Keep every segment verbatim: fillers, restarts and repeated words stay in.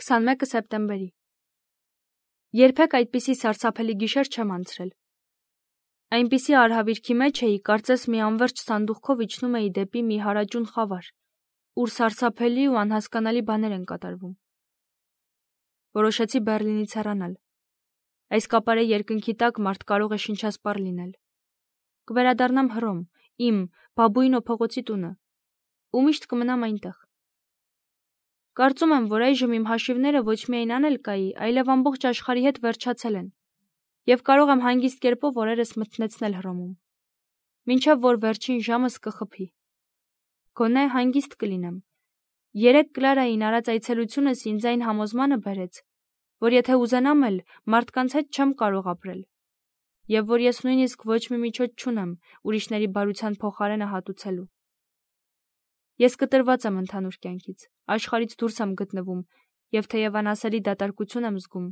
քսանմեկը սեպտեմբերի։ Երբեք այդպիսի սարսափելի գիշեր չեմ անցրել։ Այնպիսի արհավիրքի մեջ էի, կարծես մի անվերջ սանդուղքով իջնում էի դեպի մի հարաճուն խավար, ուր սարսափելի ու անհասկանալի բաներ են կատարվում։ Որոշեցի Բեռլինից հեռանալ։ Այս կապարե երկնքի տակ մարդ կարող է շնչասպառ լինել։ Կվերադառնամ Հռոմ, իմ Բաբուինո փողոցի տունը, ու միշտ կմնամ այնտեղ։ Կարծում եմ, որ այժմ իմ հաշիվները ոչ միայն անելկայի, այլև ամբողջ աշխարհի հետ վերջացել են, եւ կարող եմ հանգիստ կերպով օրերս մթնեցնել Հռոմում, մինչև որ վերջին ժամս կխփի։ Գոնե հանգիստ կլինեմ։ Երեկ Կլարային արած այցելությունս ինձ այն համոզմանը բերեց, որ եթե ուզենամ էլ, մարդկանց հետ չեմ կարող ապրել, եւ որ ես նույնիսկ ոչ մի միջոց չունեմ ուրիշների բարության փոխարենը հատուցելու։ Ես կտրված եմ ընդհանուր կյանքից, աշխարհից դուրս եմ գտնվում, եւ թեև անասելի դատարկություն եմ զգում,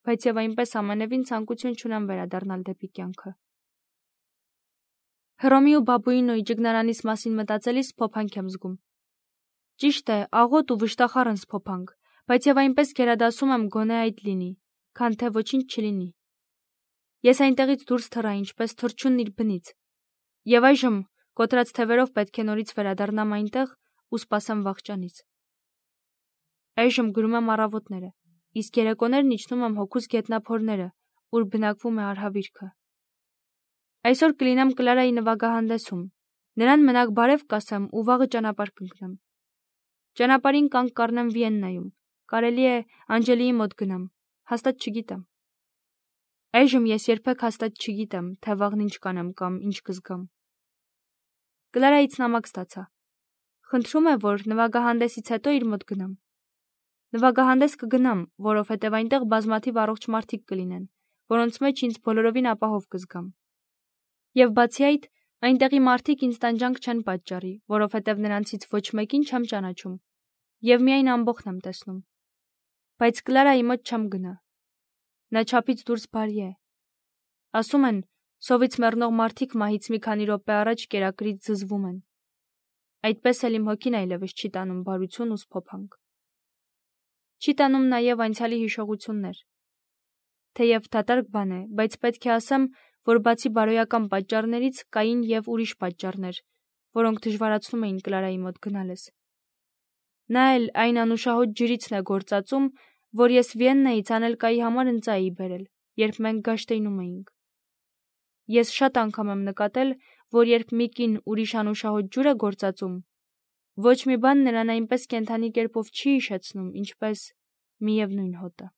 բայց եւ այնպես ամենևին ցանկություն չունեմ վերադառնալ դեպի կյանքը։ Հռոմի ու Բաբուինոյի ճգնարանիս մասին մտածելիս փոփանք եմ զգում։ Ճիշտ է, աղոտ ու վշտախառն սփոփանք, բայց եւ այնպես գերադասում եմ գոնե այդ լինի, քան թե ոչինչ չլինի։ Ես այնտեղից դուրս թռա ինչպես թռչունն իր բնից, եւ այժմ կոտրած թևերով պետք է նորից վերադառնամ այնտեղ ու սպասեմ վախճանից։ Այժմ գրում եմ առավոտները, իսկ երեկոներն իջնում եմ հոգուս գետնափորները, ուր բնակվում է արհավիրքը։ Այսօր կլինեմ Կլարայի նվագահանդեսում, նրան մենակ բարև կասեմ ու վաղը ճանապարհ կընկնեմ։ Ճանապարհին կանգ կառնեմ Վիեննայում, կարելի է Անջելիի մոտ գնամ, հաստատ չգիտեմ։ Այժմ ես երբեք հաստատ չգիտեմ, թե վաղն ինչ կանեմ կամ ինչ կզգամ։ Կլարայից նամակ ստացա։ Խնդրում է, որ նվագահանդեսից հետո իր մոտ գնամ։ Նվագահանդես կգնամ, որովհետև այնտեղ բազմաթիվ առողջ մարդիկ կլինեն, որոնց մեջ ինձ բոլորովին ապահով կզգամ։ Եվ բացի այդ, այնտեղի մարդիկ ինձ տանջանք չեն պատճառի, որովհետև նրանցից ոչ մեկին չեմ ճանաչում, եւ միայն ամբողջն եմ տեսնում։ Բայց Կլարայի մոտ չեմ գնա։ Նա չափից դուրս բարի է։ Ասում են, սովից մեռնող մարդիկ մահից մի քանի րոպե առաջ կերակրից զզվում են։ Այդպես էլ իմ հոգին այլևս չի տանում բարություն ու սփոփանք։ Չի տանում նաև անցյալի հիշողություններ։ Թեև դատարկ բան է, բայց պետք է ասեմ, որ բացի բարոյական պատճառներից կային եւ ուրիշ պատճառներ, որոնք դժվարացնում էին Կլարայի մոտ գնալս։ Նա էլ այն անուշահոտ ջրիցն է գործածում, որ ես Վիեննայից անելկայի համար ընծա էի բերել, երբ մենք գաշտեյնում էինք։ Ես շատ անգամ եմ նկատել, որ երբ մի կին ուրիշ անուշահոտ ջուր է գործածում, ոչ մի բան նրան այնպես կենդանի կերպով չի հիշեցնում, ինչպես միևնույն հոտը։